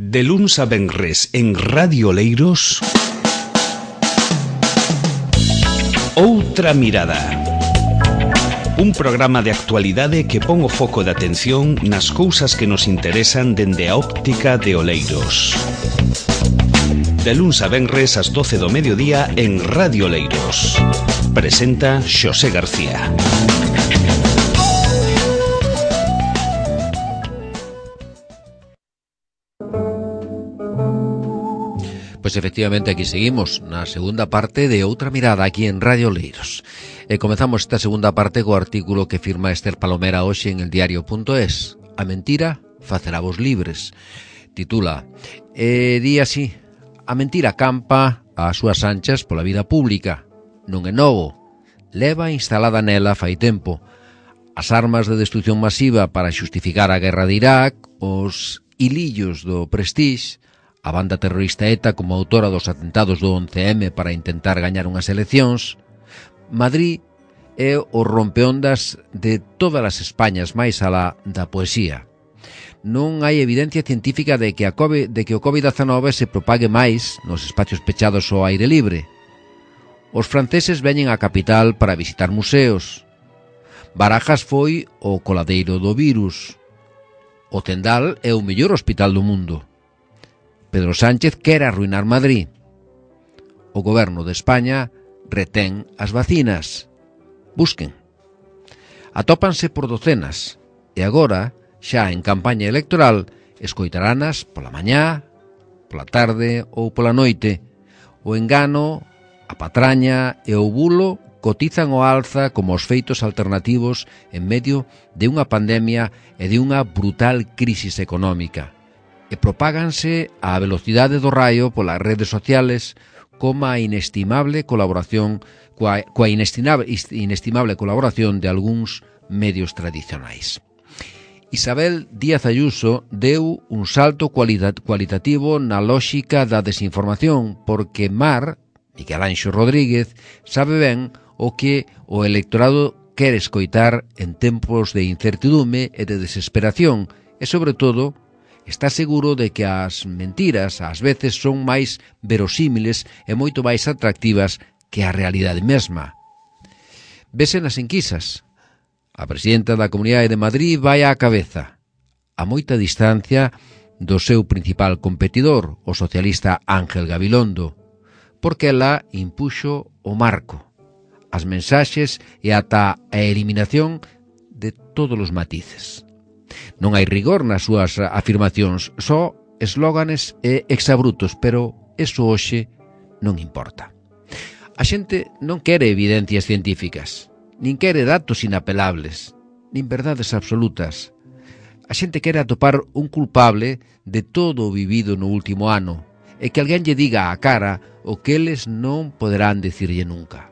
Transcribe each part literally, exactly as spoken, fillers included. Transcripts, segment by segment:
De luns a venres en Radio Oleiros, Outra Mirada. Un programa de actualidade que pon o foco de atención nas cousas que nos interesan dende a óptica de Oleiros. De luns a venres ás doce do mediodía en Radio Oleiros. Presenta Xosé García. Pois efectivamente aquí seguimos na segunda parte de Outra Mirada aquí en Radio Oleiros. E comezamos esta segunda parte co artículo que firma Esther Palomera hoxe en el diario punto es. A mentira facerá vos libres. Titula, e di así, a mentira campa ás súas anchas pola vida pública. Non é novo, leva instalada nela fai tempo. As armas de destrucción masiva para xustificar a guerra de Irak, os hilillos do Prestige, a banda terrorista ETA como autora dos atentados do once eme para intentar gañar unhas eleccións, Madrid é o rompeondas de todas as Españas máis alá da poesía. Non hai evidencia científica de que, a COVID, de que o covid diecinueve se propague máis nos espacios pechados ao aire libre. Os franceses veñen á capital para visitar museos. Barajas foi o coladeiro do virus. O Zendal é o mellor hospital do mundo. Pedro Sánchez quere arruinar Madrid. O goberno de España retén as vacinas. Busquen. Atópanse por docenas e agora, xa en campaña electoral, escoitaranas pola mañá, pola tarde ou pola noite. O engano, a patraña e o bulo cotizan o alza como os feitos alternativos en medio de unha pandemia e de unha brutal crisis económica. E propáganse á velocidade do raio polas redes sociales como a inestimable colaboración coa, coa inestimable, inestimable colaboración de algúns medios tradicionais. Isabel Díaz Ayuso deu un salto cualitativo na lóxica da desinformación porque Mar, Miguel Anxo Rodríguez, sabe ben o que o electorado quere escoitar en tempos de incertidume e de desesperación e, sobre todo, está seguro de que as mentiras ás veces son máis verosímiles e moito máis atractivas que a realidade mesma. Vese nas enquisas. A presidenta da Comunidade de Madrid vai á cabeza, a moita distancia do seu principal competidor, o socialista Ángel Gabilondo, porque ela impuxo o marco, as mensaxes e ata a eliminación de todos os matices. Non hai rigor nas súas afirmacións, só eslóganes e exabrutos, pero eso hoxe non importa. A xente non quere evidencias científicas, nin quere datos inapelables, nin verdades absolutas. A xente quere atopar un culpable de todo o vivido no último ano e que alguén lle diga á cara o que eles non poderán dicirlle nunca.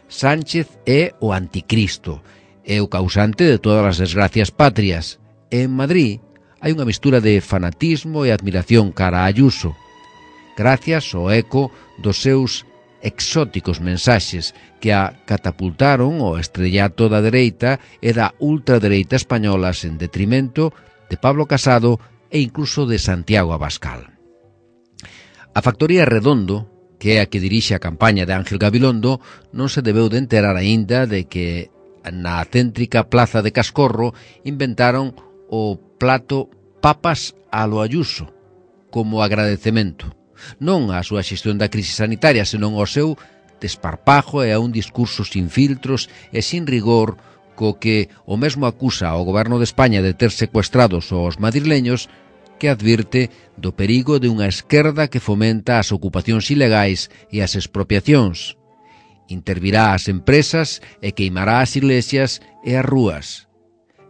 Sánchez é o anticristo, é o causante de todas as desgracias patrias. En Madrid hai unha mistura de fanatismo e admiración cara a Ayuso, gracias ao eco dos seus exóticos mensaxes que a catapultaron ao estrellato da dereita e da ultradereita españolas en detrimento de Pablo Casado e incluso de Santiago Abascal. A factoría Redondo, que é a que dirixe a campaña de Ángel Gabilondo, non se debeu de enterar aínda de que na céntrica plaza de Cascorro inventaron o plato papas a lo Ayuso como agradecemento, non á súa xestión da crise sanitaria, senón ao seu desparpajo e a un discurso sin filtros e sin rigor co que o mesmo acusa ao goberno de España de ter secuestrados aos madrileños, que advirte do perigo de unha esquerda que fomenta as ocupacións ilegais e as expropiacións. Intervirá as empresas e queimará as iglesias e as rúas.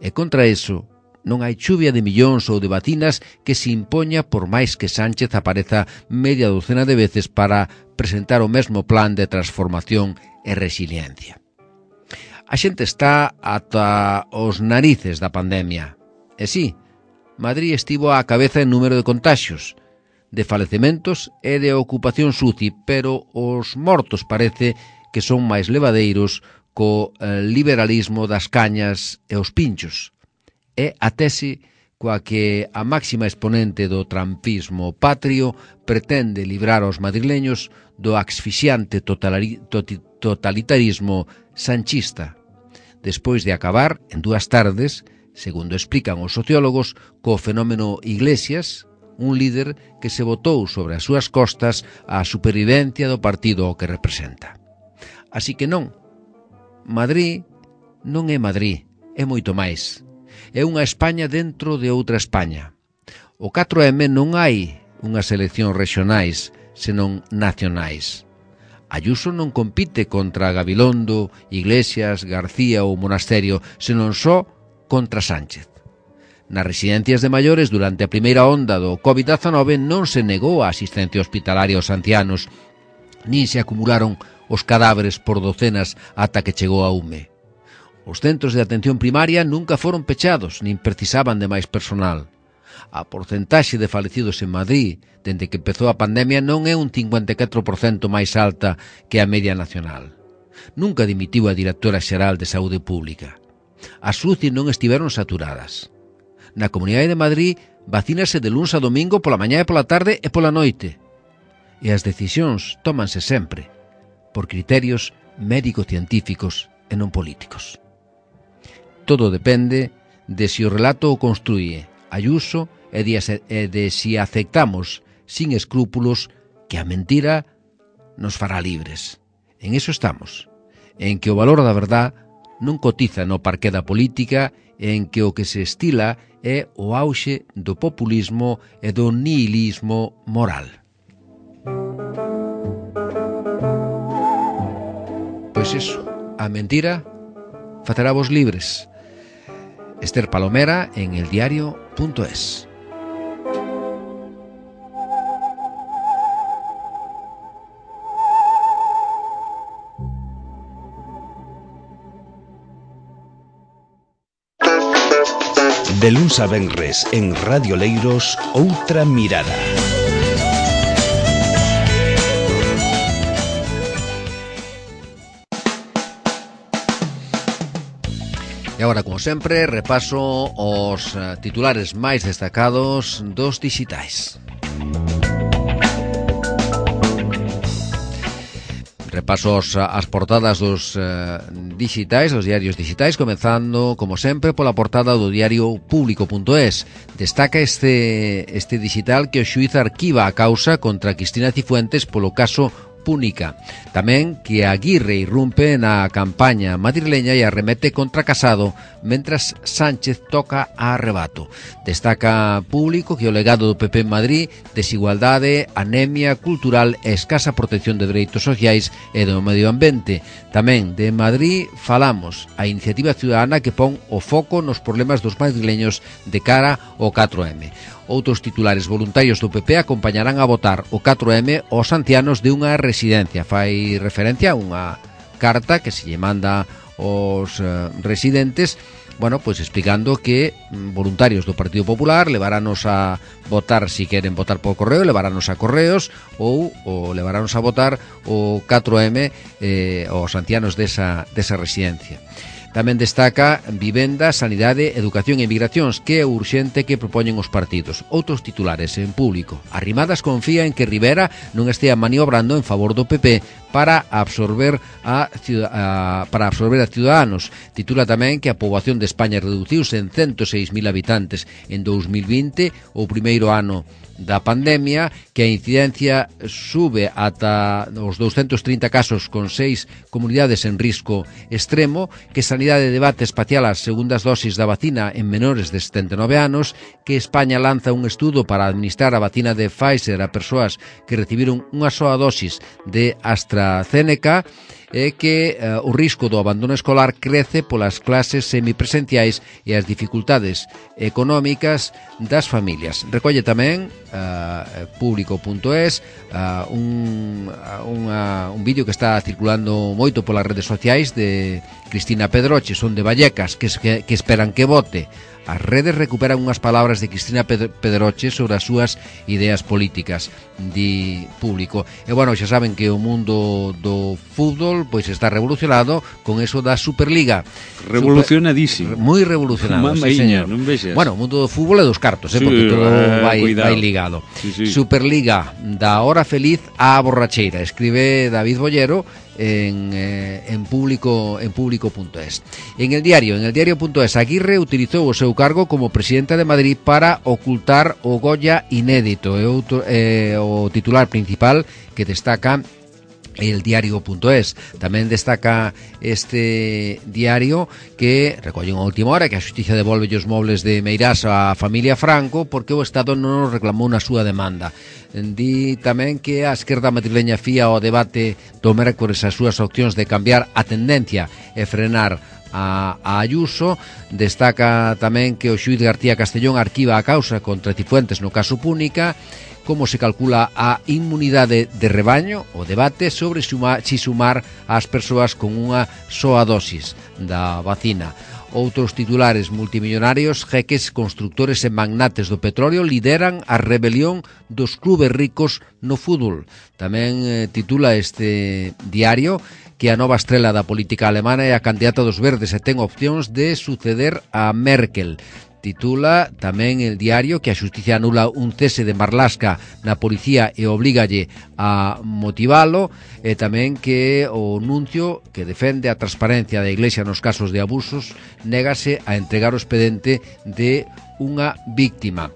E contra eso, non hai chuvia de millóns ou de vacinas que se impoña por máis que Sánchez apareza media docena de veces para presentar o mesmo plan de transformación e resiliencia. A xente está ata os narices da pandemia. E sí, Madrid estivo á cabeza en número de contaxios, de falecementos e de ocupación S U C I, pero os mortos parece que son máis levadeiros co liberalismo das cañas e os pinchos. É a tese coa que a máxima exponente do trampismo patrio pretende librar aos madrileños do asfixiante totalitarismo sanchista, despois de acabar en dúas tardes, segundo explican os sociólogos, co fenómeno Iglesias, un líder que se botou sobre as súas costas a supervivencia do partido ao que representa. Así que non, Madrid non é Madrid, é moito máis. É unha España dentro de outra España. O catro eme non hai unhas eleccións regionais, senón nacionais. Ayuso non compite contra Gabilondo, Iglesias, García ou Monasterio, senón só contra Sánchez. Nas residencias de maiores, durante a primeira onda do covid dezanove, non se negou a asistencia hospitalaria aos ancianos, nin se acumularon os cadáveres por docenas ata que chegou a U M E. Os centros de atención primaria nunca foron pechados, nin precisaban de máis personal. A porcentaxe de falecidos en Madrid, dende que empezou a pandemia, non é un cincuenta e catro por cento máis alta que a media nacional. Nunca dimitiu a directora xeral de Saúde Pública. As U C I non estiveron saturadas. Na Comunidade de Madrid vacínase de luns a domingo pola mañá e pola tarde e pola noite. E as decisións tómanse sempre por criterios médico-científicos e non políticos. Todo depende de si o relato o construye Ayuso e de, e de si aceptamos sin escrúpulos que a mentira nos fará libres. En eso estamos, en que o valor da verdad non cotiza no parqué da política, en que o que se estila é o auxe do populismo e do nihilismo moral. Pois iso, a mentira facerá vos libres. Esther Palomera en eldiario punto es. De luns a venres en Radio Leiros, Outra Mirada. E agora, como sempre, repaso os titulares máis destacados dos dixitais. Repaso as portadas dos uh, digitais, dos diarios digitais, comenzando, como sempre, pola portada do diario público punto es. Destaca este, este digital que o xuíz arquiva a causa contra Cristina Cifuentes polo caso Púnica. Tamén que Aguirre irrumpe na campaña madrileña e arremete contra Casado, mentras Sánchez toca a arrebato. Destaca Público que o legado do P P en Madrid, desigualdade, anemia cultural e escasa protección de dereitos sociais e do medio ambiente. Tamén de Madrid falamos a iniciativa ciudadana que pon o foco nos problemas dos madrileños de cara ao catro eme. Outros titulares: voluntarios do P P acompañarán a votar o catro eme aos ancianos de unha residencia. Fai referencia a unha carta que se lle manda aos uh, residentes, bueno, pois explicando que mm, voluntarios do Partido Popular levarános a votar, si queren votar por correo, levarános a correos ou, ou levarános a votar o catro eme eh, aos ancianos desa, desa residencia. Tamén destaca vivenda, sanidade, educación e migracións, que é urxente que propoñen os partidos. Outros titulares en Público. Arrimadas confía en que Rivera non estea maniobrando en favor do P P para absorber a, a para absorber a Ciudadanos. Titula tamén que a poboación de España reduciuse en ciento seis mil habitantes en dous mil vinte, o primeiro ano da pandemia, que a incidencia sube ata os douscentos trinta casos con seis comunidades en risco extremo, que Sanidade debate espacial as segundas dosis da vacina en menores de setenta e nove anos, que España lanza un estudo para administrar a vacina de Pfizer a persoas que recibiron unha soa dosis de AstraZeneca, é que uh, o risco do abandono escolar crece polas clases semipresenciais e as dificultades económicas das familias. Recolle tamén uh, público punto es uh, un, uh, un vídeo que está circulando moito polas redes sociais de Cristina Pedroche, son de Vallecas, que, que, que esperan que vote as redes recuperan unhas palabras de Cristina Pedroche sobre as súas ideas políticas, di Público. E bueno, xa saben que o mundo do fútbol pois está revolucionado con eso da Superliga. Revolucionadísimo. Super, moi revolucionado, sí, señor. Non vexas. Bueno, o mundo do fútbol e dos cartos, eh, sí, porque todo eh, vai, vai ligado. Sí, sí. Superliga, da hora feliz á borracheira, escribe David Bollero en, eh, en público en público punto es. En el diario, en el diario punto es, Aguirre utilizou o seu cargo como presidente de Madrid para ocultar o Goya inédito, é outro, eh, o titular principal que destaca el diario punto es. Tamén destaca este diario que recolle unha última hora que a xustiza devolve os mobles de Meirás á familia Franco porque o Estado non os reclamou na súa demanda. Di tamén que a esquerda madrileña fía o debate do mércores as súas opcións de cambiar a tendencia e frenar a, a Ayuso. Destaca tamén que o xuíz García Castellón arquiva a causa contra Cifuentes no caso Púnica. Como se calcula a inmunidade de rebaño, o debate sobre suma, si sumar as persoas con unha soa dosis da vacina. Outros titulares multimillonarios, jeques, constructores e magnates do petróleo lideran a rebelión dos clubes ricos no fútbol. Tamén eh, titula este diario que a nova estrela da política alemana é a candidata dos verdes e ten opcións de suceder a Merkel. Titula tamén el diario que a xusticia anula un cese de Marlaska na policía e oblígalle a motivalo, e tamén que o nuncio que defende a transparencia da Iglesia nos casos de abusos négase a entregar o expediente de unha víctima.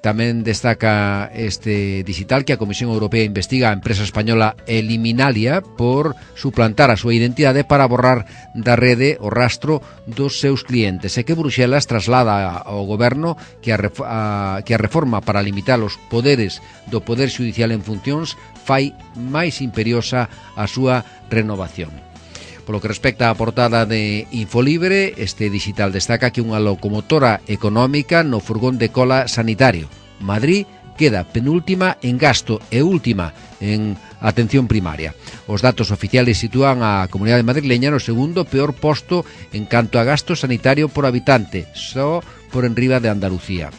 Tamén destaca este digital que a Comisión Europea investiga a empresa española Eliminalia por suplantar a súa identidade para borrar da rede o rastro dos seus clientes, e que Bruxelas traslada ao goberno que a, a, que a reforma para limitar os poderes do Poder Xudicial en funcións fai máis imperiosa a súa renovación. Polo que respecta á portada de Infolibre, este digital destaca que unha locomotora económica no furgón de cola sanitario. Madrid queda penúltima en gasto e última en atención primaria. Os datos oficiales sitúan a comunidade madrileña no segundo peor posto en canto a gasto sanitario por habitante, só por enriba de Andalucía.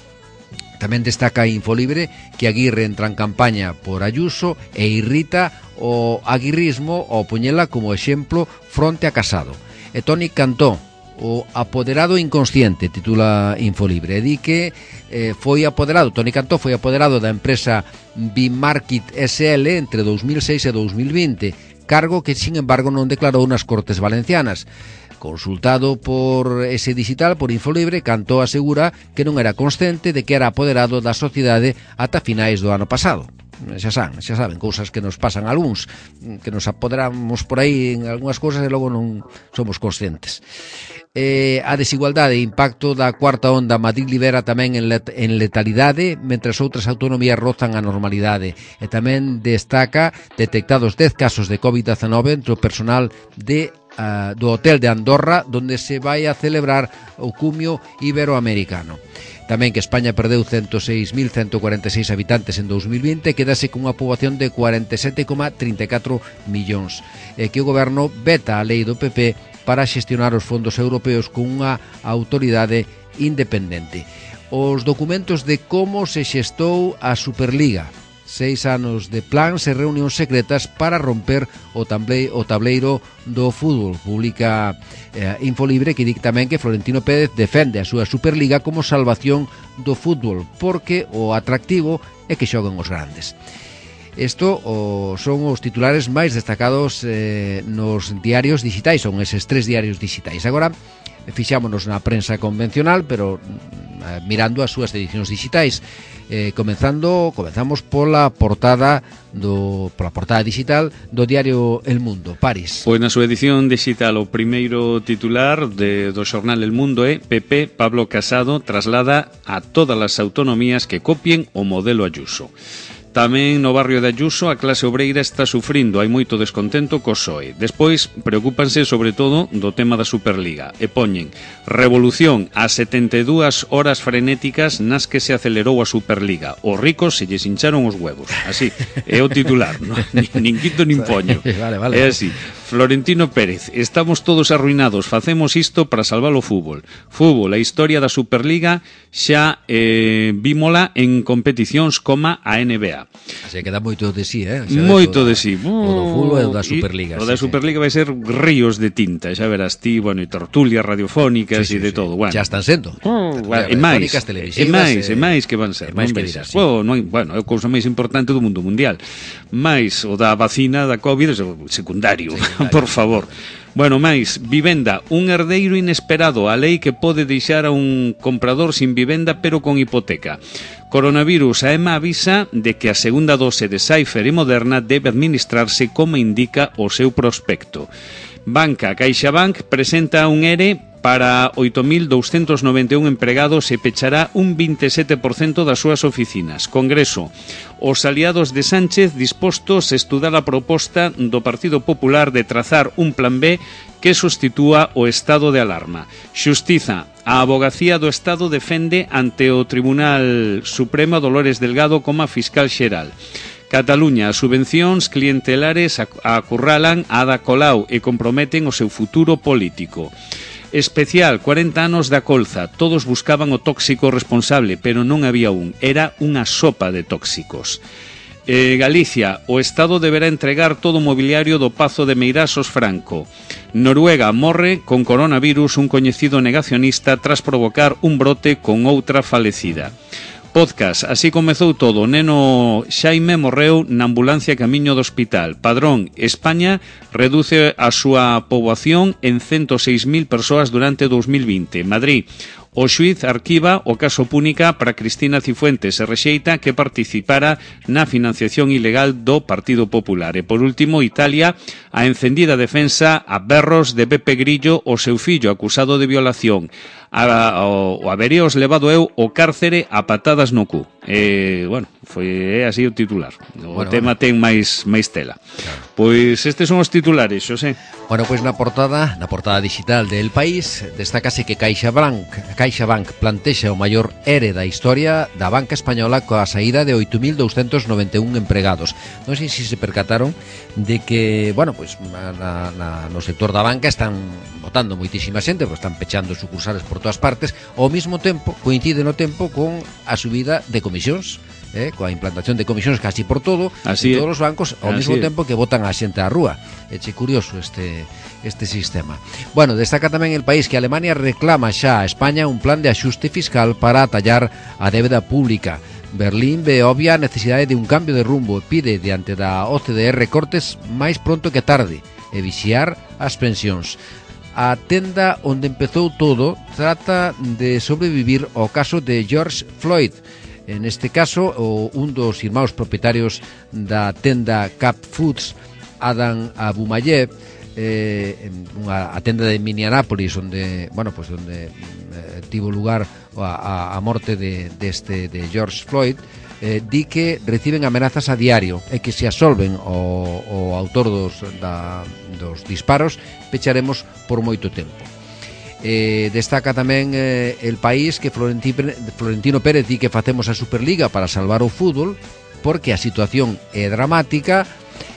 Tamén destaca Infolibre que Aguirre entra en campaña por Ayuso e irrita o aguirrismo ao poñela como exemplo fronte a Casado. E Toni Cantó, o apoderado inconsciente, titula Infolibre, e di que eh, foi apoderado, Toni Cantó foi apoderado da empresa Bimarket S L entre dous mil seis e dous mil vinte, cargo que, sin embargo, non declarou nas Cortes Valencianas. Consultado por ese digital, por Infolibre, Cantó asegura que non era consciente de que era apoderado da sociedade ata finais do ano pasado. Xa saben, xa saben, cousas que nos pasan a algúns, que nos apoderamos por aí en algunhas cousas e logo non somos conscientes. Eh, a desigualdade e impacto da cuarta onda. Madrid libera tamén en, let, en letalidade, mentras outras autonomías rozan a normalidade. E tamén destaca detectados dez casos de covid diecinueve entre o personal de Uh, do hotel de Andorra, donde se vai a celebrar o cumio iberoamericano. Tamén que España perdeu ciento seis mil ciento cuarenta e seis habitantes en dous mil vinte e quedase cunha poboación de cuarenta e sete coma trinta e catro millóns, e que o goberno veta a lei do P P para xestionar os fondos europeos con unha autoridade independente. Os documentos de como se xestou a Superliga, seis anos de plans e reunións secretas para romper o, tamble, o tableiro do fútbol. Publica eh, Infolibre, que di tamén que Florentino Pérez defende a súa Superliga como salvación do fútbol, porque o atractivo é que xoguen os grandes. Isto o, son os titulares máis destacados eh, nos diarios digitais, son eses tres diarios digitais. Agora fixámonos na prensa convencional, pero eh, mirando as súas edicións digitais. Eh, comenzando, comenzamos pola portada do pola portada digital do diario El Mundo, París. Pois na súa edición digital o primeiro titular de, do xornal El Mundo é P P Pablo Casado traslada a todas as autonomías que copien o modelo Ayuso. Tamén no barrio de Ayuso a clase obreira está sufrindo, hai moito descontento co P S O E. Despois preocúpanse sobre todo do tema da Superliga e poñen revolución ás setenta e dúas horas frenéticas nas que se acelerou a Superliga. Os ricos se lles hincharon os huevos. Así, é o titular, no? nin, nin quito nin poño. Vale, vale. É así. Florentino Pérez, estamos todos arruinados, facemos isto para salvar o fútbol. Fútbol, a historia da Superliga xa eh, vímola en competicións como a N B A. Se queda moito de sí, eh? Xa Moito de sí. O do fútbol e o da Superliga. O da sí, Superliga sí. Vai ser ríos de tinta, xa verás ti, bueno, e tertulias radiofónicas e sí, sí, de sí. todo. Bueno. Já están sendo. Oh, bueno, e máis, e máis, e máis que van ser. E máis que dirás, sí. Bueno, non, bueno, é a cousa máis importante do mundo mundial. Mais o da vacina da COVID é secundario, secundario. Por favor. Bueno, máis, vivenda, un herdeiro inesperado, a lei que pode deixar a un comprador sin vivenda pero con hipoteca. Coronavirus, a EMA avisa de que a segunda dose de Pfizer e Moderna debe administrarse como indica o seu prospecto. Banca, CaixaBank presenta un E R E para oito mil douscentos noventa e un empregados e pechará un vinte e sete por cento das súas oficinas. Congreso, os aliados de Sánchez dispostos a estudar a proposta do Partido Popular de trazar un plan B que sustitúa o estado de alarma. Xustiza, a Avogacía do Estado defende ante o Tribunal Supremo Dolores Delgado como a fiscal xeral. Cataluña, as subvencións clientelares acurralan a Ada Colau e comprometen o seu futuro político. Especial, cuarenta anos da colza, todos buscaban o tóxico responsable, pero non había un, era unha sopa de tóxicos. Eh, Galicia, o Estado deberá entregar todo o mobiliario do Pazo de Meirás aos Franco. Noruega morre con coronavirus un coñecido negacionista tras provocar un brote con outra falecida. Podcast, así comezou todo. O neno Xaime morreu na ambulancia camiño do hospital. Padrón, España reduce a súa poboación en ciento seis mil persoas durante dos mil vinte. Madrid, o xuíz arquiva o caso Púnica para Cristina Cifuentes e rexeita que participara na financiación ilegal do Partido Popular. E por último, Italia, a encendida defensa a berros de Pepe Grillo, o seu fillo acusado de violación. A, o, o haberíos levado eu o cárcere a patadas no cu. E, bueno, foi así o titular. O bueno, tema bueno. ten máis máis tela. Claro. Pois estes son os titulares, Xosé. Bueno, pois na portada, na portada digital del País, destacase que CaixaBank, CaixaBank plantexa o maior E R E da historia da banca española coa saída de oito mil douscentos noventa e un empregados. Non sei se se percataron de que, bueno, pois na, na, no sector da banca están botando moitísima xente, pois están pechando sucursales por todas partes, ao mesmo tempo, coincide no tempo con a subida de comisións, eh, coa implantación de comisións casi por todo, así en todos os bancos, ao así mesmo é. tempo que botan a xente á rúa. É che curioso este este sistema. Bueno, destaca tamén El País que Alemania reclama xa a España un plan de axuste fiscal para atallar a débeda pública. Berlín ve obvia a necesidade de un cambio de rumbo e pide diante da O C D E recortes máis pronto que tarde e vixiar as pensións. A tenda onde empezou todo trata de sobrevivir ao caso de George Floyd. En este caso, o, un dos irmãos propietarios da tenda Cap Foods, Adam Abumayev, eh, unha, a tenda de Minneapolis, onde, bueno, pues onde eh, tivo lugar a, a, a morte de, deste, de George Floyd, eh, di que reciben amenazas a diario e que se asolven o, o autor dos, da, dos disparos pecharemos por moito tempo. Eh, destaca tamén eh, El País que Florentino, Florentino Pérez di que facemos a Superliga para salvar o fútbol porque a situación é dramática.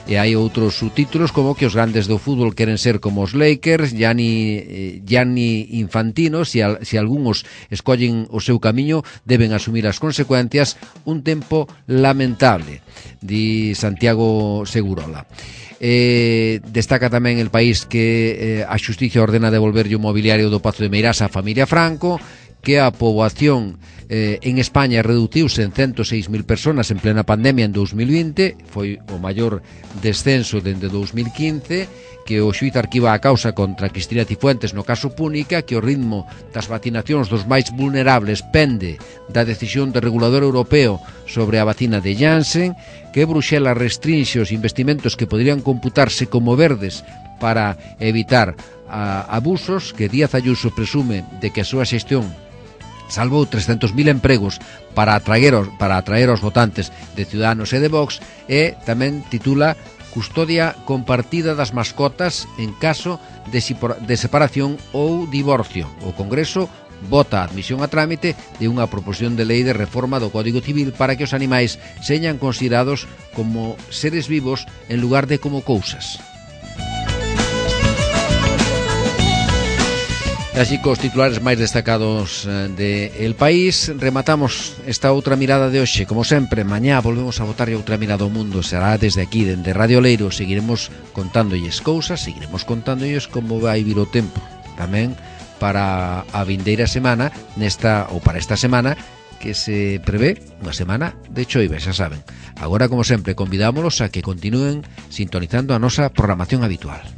E hai outros subtítulos como que os grandes do fútbol queren ser como os Lakers, Gianni, Gianni Infantino, se, al, se algúns escollen o seu camiño deben asumir as consecuencias, un tempo lamentable, di Santiago Segurola. Eh, destaca tamén El País que eh, a Xustiza ordena devolverlle o mobiliario do Pazo de Meirás á familia Franco, que a poboación eh, en España reduciuse en ciento seis mil personas en plena pandemia en dos mil vinte, foi o maior descenso dende dos mil quince, que o xuíz arquiva a causa contra Cristina Cifuentes no caso Púnica, que o ritmo das vacinacións dos máis vulnerables pende da decisión do regulador europeo sobre a vacina de Janssen, que Bruxelas restrinxe os investimentos que poderían computarse como verdes para evitar a, abusos, que Díaz Ayuso presume de que a súa xestión salvou trescentos mil empregos para atraer, para atraer aos votantes de Ciudadanos e de Vox, e tamén titula Custodia compartida das mascotas en caso de, de separación ou divorcio. O Congreso vota a admisión a trámite de unha proposición de lei de reforma do Código Civil para que os animais señan considerados como seres vivos en lugar de como cousas. Así cos titulares máis destacados de El País, rematamos esta outra mirada de hoxe. Como sempre, mañá volvemos a botar outra mirada ao mundo. Será desde aquí, dende Radio Leiro. Seguiremos contándolles cousas, seguiremos contándolles como vai vir o tempo. Tamén para a vindeira semana, nesta ou para esta semana, que se prevé unha semana de choiva, xa saben. Agora, como sempre, convidámolos a que continúen sintonizando a nosa programación habitual.